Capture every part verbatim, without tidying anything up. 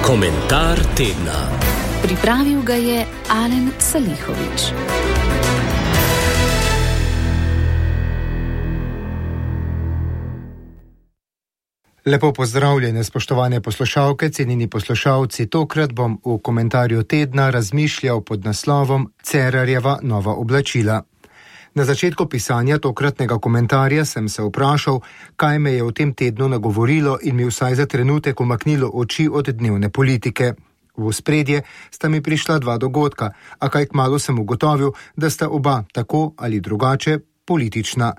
Komentar tedna. Pripravil ga je Alen Salihović. Lepo pozdravljene, spoštovane poslušalke, cenjeni poslušalci. Tokrat bom v komentarju tedna razmišljal pod naslovom Cerarjeva nova oblačila. Na začetku pisanja tokratnega komentarja sem se vprašal, kaj me je v tem tednu nagovorilo in mi vsaj za trenutek umaknilo oči od dnevne politike. V ospredje sta mi prišla dva dogodka, a kaj kmalu sem ugotovil, da sta oba tako ali drugače politična.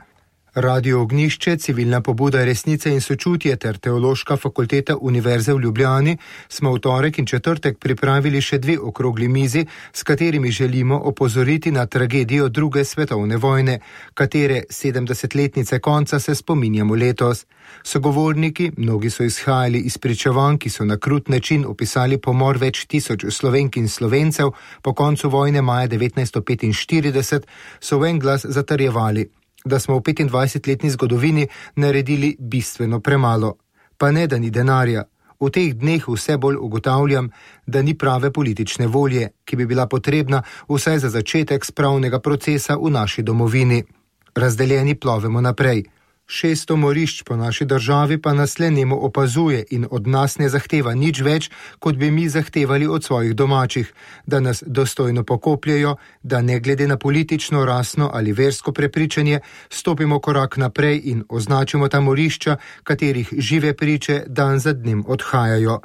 Radio Ognjišče, civilna pobuda Resnice in sočutje ter Teološka fakulteta Univerze v Ljubljani smo v torek in četrtek pripravili še dve okrogli mizi, s katerimi želimo opozoriti na tragedijo druge svetovne vojne, katere sedemdesetletnice konca se spominjamo letos. Sogovorniki, mnogi so izhajali iz pričevanj, ki so na krut način opisali pomor več tisoč Slovenk in Slovencev po koncu vojne maja devetnajststo petinštirideset, so v en glas zatrjevali, da smo v petindvajsetletni zgodovini naredili bistveno premalo. Pa ne, da ni denarja. V teh dneh vse bolj ugotavljam, da ni prave politične volje, ki bi bila potrebna vsaj za začetek spravnega procesa v naši domovini. Razdeljeni plovemo naprej. Šeststo morišč po naši državi pa nas le nemo opazuje in od nas ne zahteva nič več, kot bi mi zahtevali od svojih domačih, da nas dostojno pokopljajo, da ne glede na politično, rasno ali versko prepričanje stopimo korak naprej in označimo ta morišča, katerih žive priče dan za dnem odhajajo.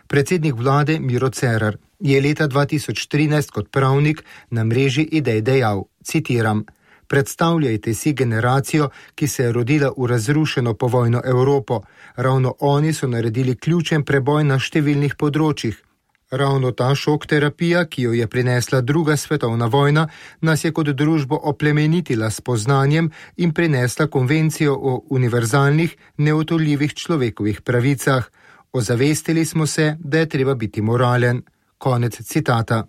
Predsednik vlade Miro Cerar je leta dva tisoč trinajst kot pravnik na mreži Idej dejal, citiram: Predstavljajte si generacijo, ki se je rodila v razrušeno povojno Evropo. Ravno oni so naredili ključen preboj na številnih področjih. Ravno ta šok terapija, ki jo je prinesla druga svetovna vojna, nas je kot družbo oplemenitila s poznanjem in prinesla konvencijo o univerzalnih, neodtujljivih človekovih pravicah. Ozavestili smo se, da je treba biti moralen. Konec citata.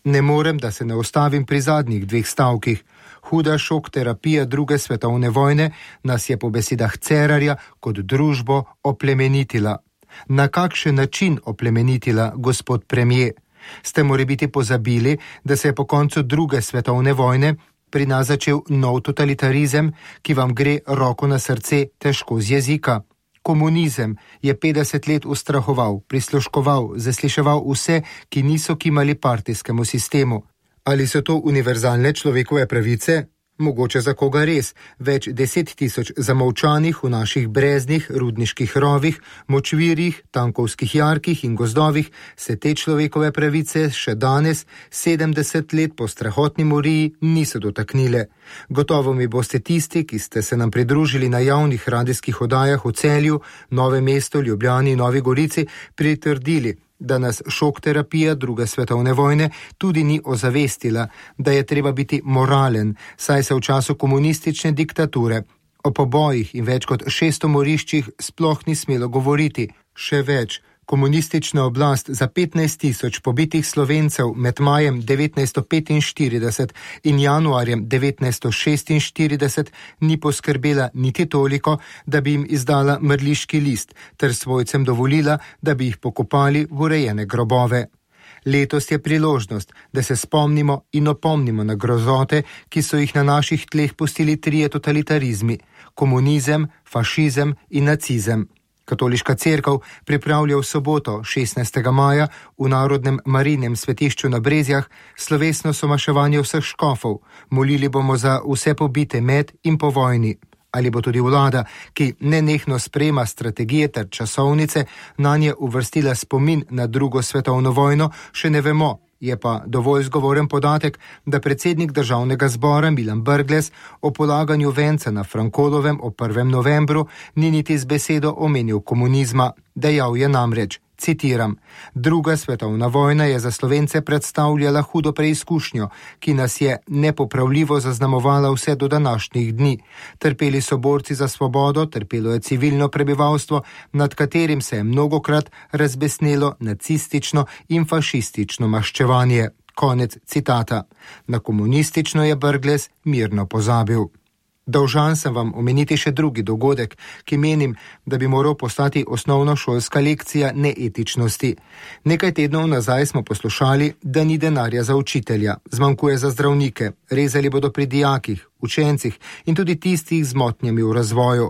Ne morem, da se ne ustavim pri zadnjih dveh stavkih. Huda šok terapija druge svetovne vojne nas je po besedah Cerarja kot družbo oplemenitila. Na kakšen način oplemenitila, gospod premier? Ste morebiti pozabili, da se je po koncu druge svetovne vojne pri nas začel nov totalitarizem, ki vam gre roko na srce težko z jezika? Komunizem je petdeset let ustrahoval, prisluškoval, zasliševal vse, ki niso kimali partijskemu sistemu. Ali so to univerzalne človekove pravice? Mogoče za koga res. Več deset tisoč zamolčanih v naših breznih, rudniških rovih, močvirjih, tankovskih jarkih in gozdovih se te človekove pravice še danes, sedemdeset let po strahotni moriji, niso dotaknile. Gotovo mi boste tisti, ki ste se nam pridružili na javnih radijskih oddajah v Celju, Novem mestu, Ljubljani in Novi Gorici, pritrdili, da nas šok terapija druge svetovne vojne tudi ni ozavestila, da je treba biti moralen, saj se v času komunistične diktature o pobojih in več kot šeststo moriščih sploh ni smelo govoriti. Še več, komunistična oblast za petnajst tisoč pobitih Slovencev med majem devetnajststo petinštirideset in januarjem devetnajststo šestinštirideset ni poskrbela niti toliko, da bi jim izdala mrliški list, ter svojcem dovolila, da bi jih pokopali v urejene grobove. Letos je priložnost, da se spomnimo in opomnimo na grozote, ki so jih na naših tleh pustili trije totalitarizmi: komunizem, fašizem in nacizem. Katoliška cerkev pripravlja v soboto, šestnajstega maja, v Narodnem Marijinem svetišču na Brezjah slovesno somaševanje vseh škofov. Molili bomo za vse pobite med in po vojni. Ali bo tudi vlada, ki nenehno sprejema strategije ter časovnice, nanje uvrstila spomin na drugo svetovno vojno, še ne vemo. Je pa dovolj zgovoren podatek, da predsednik državnega zbora Milan Brglez o polaganju venca na Frankolovem ob prvem novembru ni niti z besedo omenil komunizma. Dejal je namreč, citiram: Druga svetovna vojna je za Slovence predstavljala hudo preizkušnjo, ki nas je nepopravljivo zaznamovala vse do današnjih dni. Trpeli so borci za svobodo, trpelo je civilno prebivalstvo, nad katerim se je mnogokrat razbesnelo nacistično in fašistično maščevanje. Konec citata. Na komunistično je Brglez mirno pozabil. Dolžan sem vam omeniti še drugi dogodek, ki menim, da bi moral postati osnovnošolska lekcija neetičnosti. Nekaj tednov nazaj smo poslušali, da ni denarja za učitelja, zmanjkuje za zdravnike, rezali bodo pri dijakih, učencih in tudi tistih z motnjami v razvoju.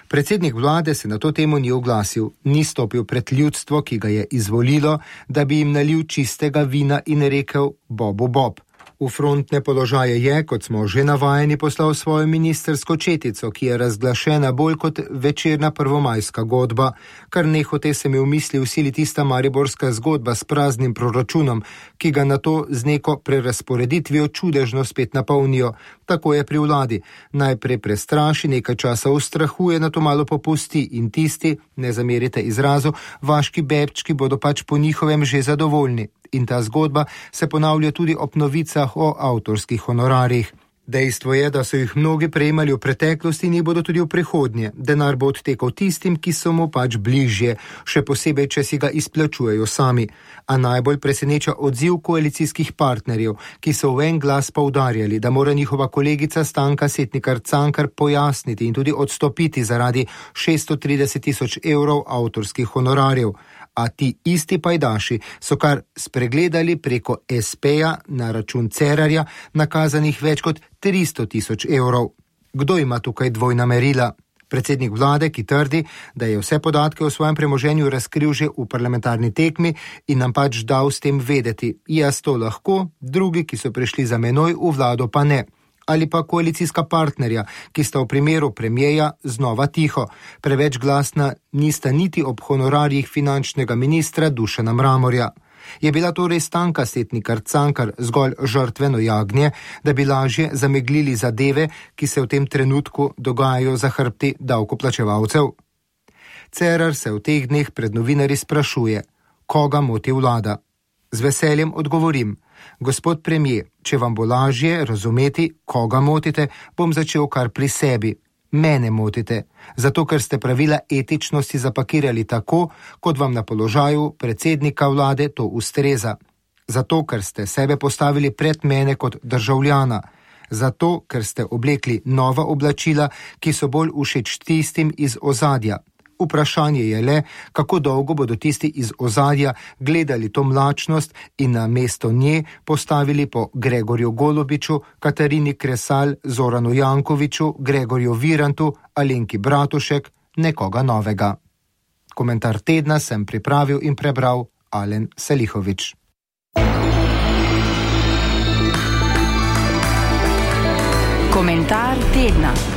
Predsednik vlade se na to temo ni oglasil, ni stopil pred ljudstvo, ki ga je izvolilo, da bi jim nalil čistega vina in rekel Bobu Bob. V frontne položaje je, kot smo že navajeni, poslal svojo ministersko četico, ki je razglašena bolj kot večerna prvomajska godba, kar nehote se mi v misli usili tista mariborska zgodba s praznim proračunom, ki ga nato z neko prerazporeditvijo čudežno spet napolnijo. Tako je pri vladi. Najprej prestraši, nekaj časa ustrahuje, nato malo popusti in tisti, ne zamerite izrazu, vaški bebčki bodo pač po njihovem že zadovoljni. In ta zgodba se ponavlja tudi ob novicah o avtorskih honorarjih. Dejstvo je, da so jih mnogi prejemali v preteklosti in jih bodo tudi v prihodnje. Denar bo odtekal tistim, ki so mu pač bližje, še posebej, če si ga izplačujejo sami. A najbolj preseneča odziv koalicijskih partnerjev, ki so v en glas poudarjali, da mora njihova kolegica Stanka Setnikar Cankar pojasniti in tudi odstopiti zaradi šeststo trideset tisoč evrov avtorskih honorarjev. A ti isti pajdaši so kar spregledali preko es peja na račun Cerarja nakazanih več kot tristo tisoč evrov. Kdo ima tukaj dvojna merila? Predsednik vlade, ki trdi, da je vse podatke o svojem premoženju razkril že v parlamentarni tekmi in nam pač dal s tem vedeti. Jaz to lahko, drugi, ki so prišli za menoj v vlado, pa ne. Ali pa koalicijska partnerja, ki sta v primeru premijeja znova tiho. Preveč glasna nista niti ob honorarjih finančnega ministra Dušana Mramorja. Je bila torej Stanka Setnikar Cankar zgolj žrtveno jagnje, da bi lažje zameglili zadeve, ki se v tem trenutku dogajajo za hrbti davkoplačevalcev? Cerar se v teh dneh pred novinarji sprašuje, koga moti vlada. Z veseljem odgovorim, gospod premijer, če vam bo lažje razumeti, koga motite, bom začel kar pri sebi. Mene motite, zato ker ste pravila etičnosti zapakirali tako, kot vam na položaju predsednika vlade to ustreza. Zato, ker ste sebe postavili pred mene kot državljana. Zato, ker ste oblekli nova oblačila, ki so bolj všeč tistim iz ozadja. Vprašanje je le, kako dolgo bodo tisti iz ozadja gledali to mlačnost in na mesto nje postavili po Gregorju Golobiču, Katarini Kresal, Zoranu Jankoviću, Gregorju Virantu, Alenki Bratušek, nekoga novega. Komentar tedna sem pripravil in prebral Alen Selihović. Komentar tedna.